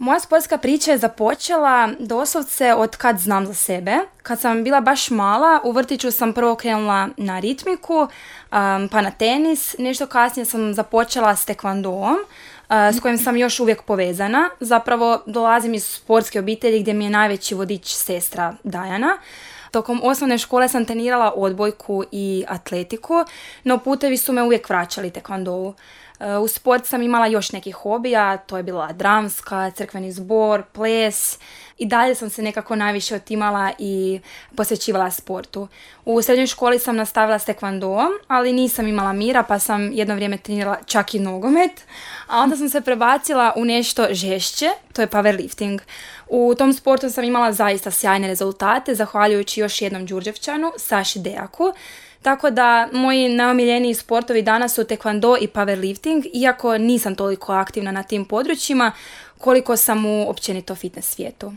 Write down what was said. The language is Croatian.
Moja sportska priča je započela doslovce od kad znam za sebe. Kad sam bila baš mala, u vrtiću sam prvo krenula na ritmiku, pa na tenis. Nešto kasnije sam započela s tekvandoom, s kojim sam još uvijek povezana. Zapravo dolazim iz sportske obitelji gdje mi je najveći vodič sestra Dajana. Tokom osnovne škole sam trenirala odbojku i atletiku, no putevi su me uvijek vraćali tekvandovu. U sport sam imala još nekih hobija, to je bila dramska, crkveni zbor, ples i dalje sam se nekako najviše otimala i posvećivala sportu. U srednjoj školi sam nastavila s tekvandoom, ali nisam imala mira pa sam jedno vrijeme trenirala čak i nogomet, a onda sam se prebacila u nešto žešće, to je powerlifting. U tom sportu sam imala zaista sjajne rezultate, zahvaljujući još jednom Đurđevčanu, Saši Dejaku. Tako da moji najomiljeniji sportovi danas su tekvando i powerlifting, iako nisam toliko aktivna na tim područjima koliko sam u općenito fitness svijetu.